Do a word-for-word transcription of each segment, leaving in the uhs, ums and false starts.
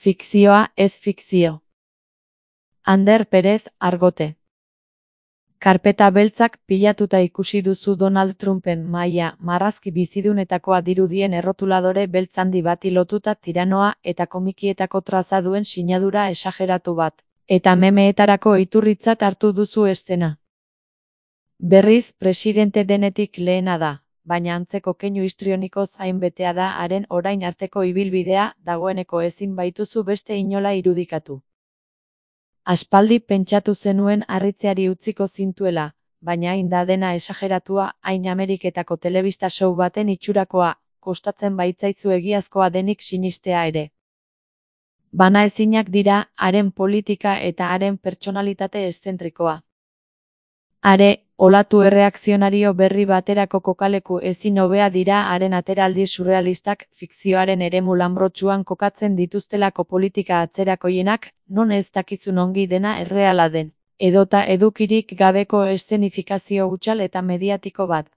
Fikzioa ez fikzio. Ander Perez, Argote. Karpeta beltzak pilatuta ikusi duzu Donald Trumpen mahaia marrazki bizidunetakoa dirudien errotuladore beltz handi bati lotuta tiranoa eta komikietako traza duen sinadura esageratu bat, eta memeetarako iturritzat hartu duzu eszena. Berriz, presidente denetik lehena da, baina antzeko keinu histrionikoz hainbetea da haren orain arteko ibilbidea, dagoeneko ezin baituzu beste inola irudikatu. Aspaldi pentsatu zenuen harritzeari utziko zintuela, baina hain da dena esageratua, hain Ameriketako telebista show baten itxurakoa, kostatzen baitzaizu egiazkoa denik sinistea ere. Banaezinak dira, haren politika eta haren pertsonalitate eszentrikoa. Are, olatu erreakzionario berri baterako kokaleku ezin hobea dira haren ateraldi surrealistak, fikzioaren eremu lanbrotsuan kokatzen dituztelako politika atzerakoienak, non ez dakizun ongi dena erreala den, edota edukirik gabeko eszenifikazio hutsal eta mediatiko bat.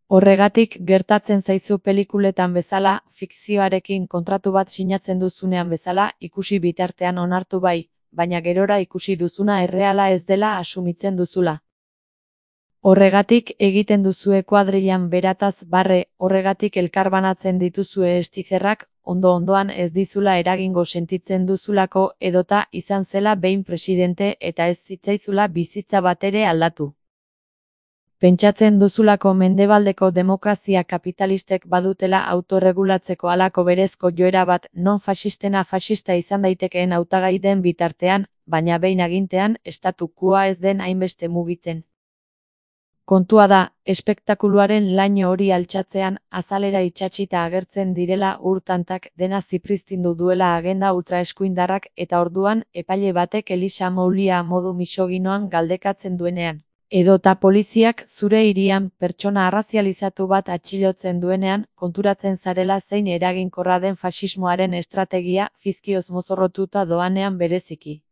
Horregatik gertatzen zaizu pelikuletan bezala, fikzioarekin kontratu bat sinatzen duzunean bezala, ikusi bitartean onartu bai, baina gerora ikusi duzuna erreala ez dela asumitzen duzula. Horregatik egiten duzue kuadrilan berataz barre, horregatik elkarbanatzen dituzue estizerrak, ondo-ondoan ez dizula eragingo sentitzen duzulako edota izan zela behin presidente eta ez zitzaizula bizitza batere aldatu. Pentsatzen duzulako mendebaldeko demokrazia kapitalistek badutela autorregulatzeko halako berezko joera bat non faxistena faxista izan daitekeen hautagai den bitartean, baina behin agintean estatu quoa ez den hainbeste mugitzen. Kontua da, espektakuluaren laino hori altxatzean, azalera itsatsita agertzen direla ur-tantak dena zipriztindu duela agenda ultraeskuindarrak eta orduan epaile batek Elisa Moulia modu misoginoan galdekatzen duenean. Edota poliziak zure hirian pertsona arrazializatu bat atxilotzen duenean, konturatzen zarela zein eraginkorra den faxismoaren estrategia fizkioz mozorrotuta doanean bereziki.